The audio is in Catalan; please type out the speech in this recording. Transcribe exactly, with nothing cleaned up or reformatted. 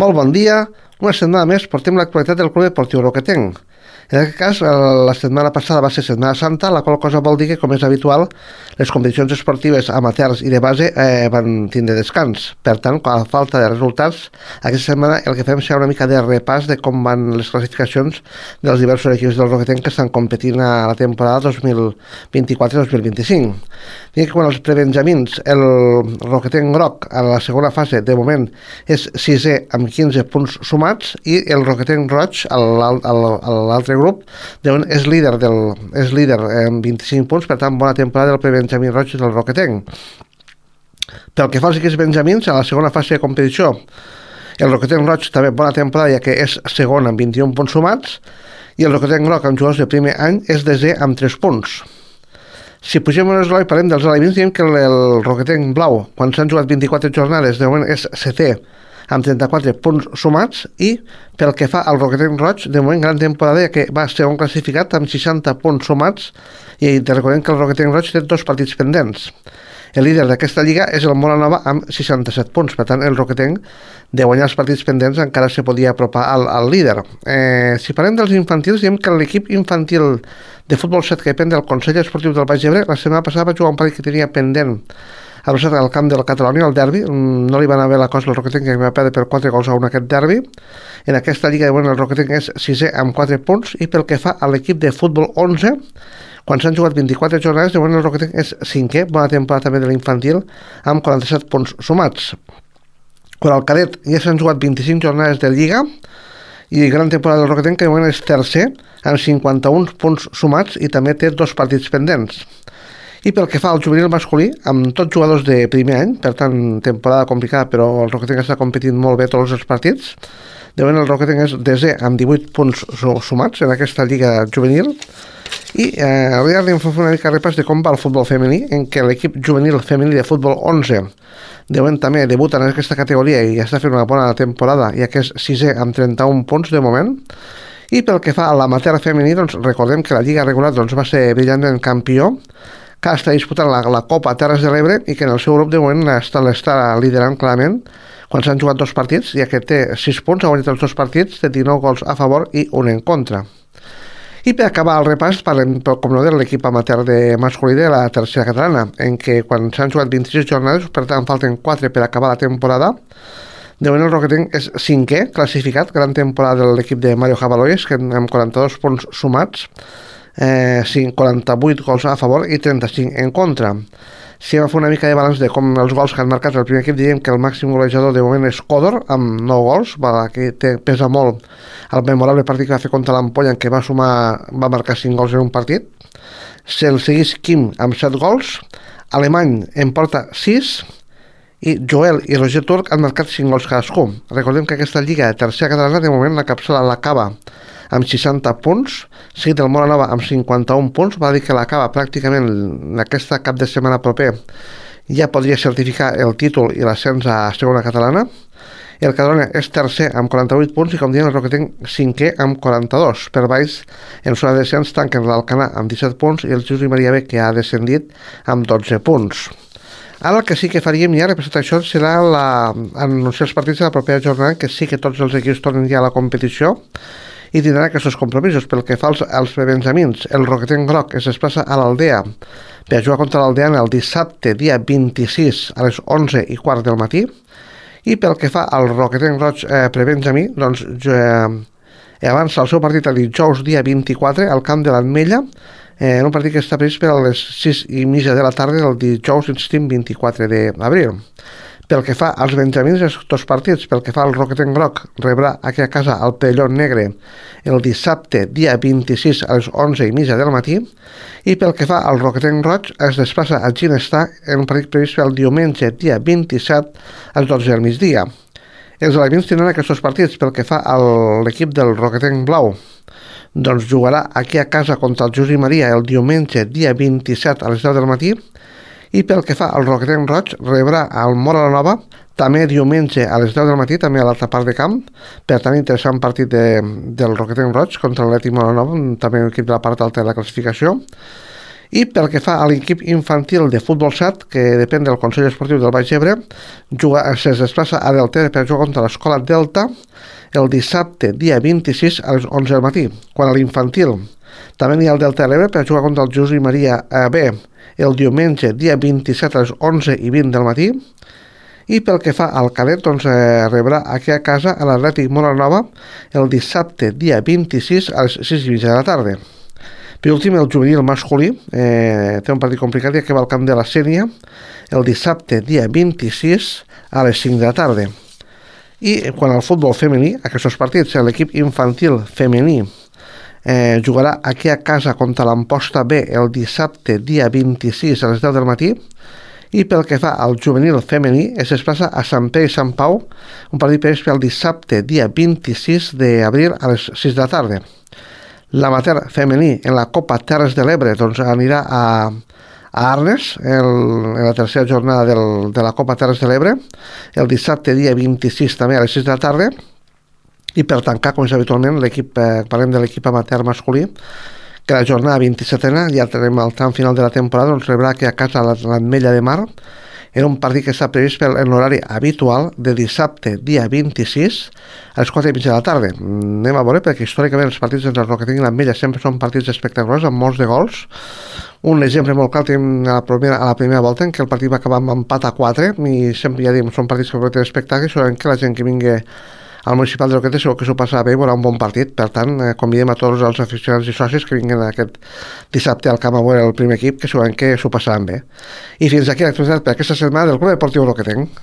Molt bon dia. Una setmana més portem l'actualitat del Club Esportiu Roquetenc. En aquest cas, la setmana passada va ser Setmana Santa, la qual cosa vol dir que, com és habitual, les competicions esportives amateurs i de base eh, van tindre descans. Per tant, a falta de resultats, aquesta setmana el que fem serà una mica de repàs de com van les classificacions dels diversos equips del Roquetenc que estan competint a la temporada dos mil vint-i-quatre dos mil vint-i-cinc. Dic que quan els prebenjamins, el Roquetenc groc a la segona fase, de moment, és sisè amb quinze punts sumats, i el Roquetenc roig, a l'altre grup, de moment és líder, del, és líder amb vint-i-cinc punts, per tant, bona temporada del prebenjamí roig del Roquetenc. Pel que fa als equips benjamins, a la segona fase de competició, el Roquetenc roig també bona temporada, ja que és segon amb vint-i-un punts sumats, i el Roquetenc groc amb jugadors de primer any és desè amb tres punts. Si pugem un esglaó i parlem dels alevins, diem que el, el Roquetenc blau, quan s'han jugat vint-i-quatre jornades, de moment és setè amb trenta-quatre punts sumats, i pel que fa al Roquetenc roig, de moment gran temporada, ja que va ser un classificat amb seixanta punts sumats, i te recordem que el Roquetenc roig té dos partits pendents. El líder d'aquesta lliga és el Molanova amb seixanta-set punts, per tant el Roquetenc, de guanyar els partits pendents, encara se podia apropar al, al líder. Eh, si parlem dels infantils, diem que l'equip infantil de futbol set que depèn del Consell Esportiu del Baix Ebre, la setmana passada va jugar un partit que tenia pendent al camp del Catalunya, el derbi. No li van haver la cosa al Roquetenc, que va perdre per quatre gols a un aquest derbi. En aquesta lliga, de moment, el Roquetenc és sisè amb quatre punts, i pel que fa a l'equip de futbol onze, quan s'han jugat vint-i-quatre jornades, de moment el Roquetenc és cinquè, bona temporada també de l'infantil, amb quaranta-set punts sumats. Quan al cadet ja s'han jugat vint-i-cinc jornades de Lliga, i gran temporada del Roquetenc, que de moment és tercer, amb cinquanta-un punts sumats, i també té dos partits pendents. I pel que fa al juvenil masculí, amb tots jugadors de primer any, per tant, temporada complicada, però el Roquetenc està competint molt bé tots els partits. De moment el Roquetenc és desè amb divuit punts sumats en aquesta lliga juvenil. I eh, avui hem fet una mica repàs de com va el futbol femení, en què l'equip juvenil femení de futbol onze de moment també debuta en aquesta categoria i està fent una bona temporada, ja que és sisè amb trenta-un punts de moment. I pel que fa a l'amateur femení, doncs recordem que la lliga regular doncs, va ser brillantment campió, que està disputant la, la Copa Terres de l'Ebre, i que en el seu grup de moment està, està liderant clarament quan s'han jugat dos partits, ja que té sis punts, ha guanyat els dos partits, té dinou gols a favor i un en contra. I per acabar el repàs, parlem, com no, de l'equip amateur de masculí de la tercera catalana, en què quan s'han jugat vint-i-sis jornades, per tant falten quatre per acabar la temporada. De moment el Roquetenc és cinquè, classificat, gran temporada de l'equip de Mario Jabaloyes, que amb quaranta-dos punts sumats, eh, quaranta-vuit gols a favor i trenta-cinc en contra. Si hem de fer una mica de balanç de com els gols que han marcat el primer equip, diríem que el màxim golejador de moment és Còdor, amb nou gols, va, que té, pesa molt el memorable partit que va fer contra l'Ampolla, en què va sumar, va marcar cinc gols en un partit. Se'l segueix Quim amb set gols, Alemany en porta sis, i Joel i Roger Turc han marcat cinc gols cadascú. Recordem que aquesta lliga de tercera catalana, de moment la capçala l'acaba amb seixanta punts, seguit del Molanova amb cinquanta-un punts, va dir que l'acaba pràcticament en aquesta cap de setmana proper, ja podria certificar el títol i l'ascens a segona catalana. El Catalunya és tercer amb quaranta-vuit punts, i com diem el Roquetenc cinquè amb quaranta-dos. Per baix, en zona de descens, tanquen l'Alcanar amb disset punts i el Jesús i Maria B, que ha descendit amb dotze punts. Ara el que sí que faríem ja, representat això, serà la, anunciar els partits de la propera jornada, que sí que tots els equips tornen ja a la competició i tindran aquests compromisos. Pel que fa als, als prebenjamins, el Roquetenc groc es desplaça a l'Aldea per jugar contra l'Aldea el dissabte, dia vint-i-sis, a les onze i quart del matí. I pel que fa al Roquetenc roig eh, prebenjamí, doncs eh, avança el seu partit el dijous, dia vint-i-quatre, al camp de l'Ametlla, eh, en un partit que està previst per a les sis i mitja de la tarda del dijous, insistim, vint-i-quatre d'abril. Pel que fa als benjamins, els dos partits. Pel que fa al Roquetenc groc, rebrà aquí a casa el Pelló Negre el dissabte, dia vint-i-sis, a les onze i mitja del matí. I pel que fa al Roquetenc roig, es desplaça a Ginestar en un partit previst pel diumenge, dia vint-i-set, a les dotze del migdia. Els alevins tindran aquests dos partits. Pel que fa a l'equip del Roquetenc blau, doncs jugarà aquí a casa contra el Jesús i Maria el diumenge, dia vint-i-set, a les deu del matí. I pel que fa al Roquetenc roig, rebrà el Molanova també diumenge a les deu del matí, també a l'altra part de camp. Per tant, interessant partit de, del Roquetenc roig contra l'Atlètic Molanova, també un equip de la part alta de la classificació. I pel que fa a l'equip infantil de futbol sat, que depèn del Consell Esportiu del Baix Ebre, juga, es desplaça a Delta per jugar contra l'Escola Delta el dissabte, dia vint-i-sis, a les onze del matí. Quan a l'infantil també n'hi ha el Delta de l'Ebre per jugar contra el Josep Maria B el diumenge, dia vint-i-set, a les onze i vint del matí. I pel que fa al cadet, doncs eh, rebrà aquí a casa a l'Atlètic Molanova el dissabte, dia vint-i-sis, a les sis i mitja de la tarda. Per últim, el juvenil masculí eh, té un partit complicat, ja que va al camp de la Sénia el dissabte, dia vint-i-sis, a les cinc de la tarda. I quan al futbol femení, aquests partits, l'equip infantil femení eh, jugarà aquí a casa contra l'Amposta B el dissabte, dia vint-i-sis, a les deu del matí. I pel que fa al juvenil femení, es desplaça a Sant Pere i Sant Pau, un partit previst pel dissabte, dia vint-i-sis d'abril, a les sis de la tarda. L'amateur femení en la Copa Terres de l'Ebre doncs anirà a, a Arnes el, en la tercera jornada del, de la Copa Terres de l'Ebre el dissabte, dia vint-i-sis, també a les sis de la tarda. I per tancar, com és habitualment, l'equip, eh, parlem de l'equip amateur masculí, que la jornada vint-i-setena, ja tenim el tram final de la temporada, doncs rebrà aquí a casa l'Ametlla de Mar. Era un partit que està previst en l'horari habitual de dissabte, dia vint-i-sis, a les quatre i mitja de la tarda. Anem a veure, perquè històricament els partits entre el que tinguin l'Ametlla sempre són partits espectaculars, amb molts de gols. Un exemple molt clar tenim a la primera, a la primera volta, en què el partit va acabar amb empat a quatre, i sempre ja diem, són partits que prometen espectacle, segurament que la gent que vingui al municipal de Roquetes segur que s'ho passarà bé i veurà un bon partit. Per tant, eh, convidem a tots els aficionats i socis que vinguin aquest dissabte al camp a veure el primer equip, que segurament que s'ho passaran bé. I fins aquí l'actualitat per aquesta setmana del Club Deportiu Roquetenc.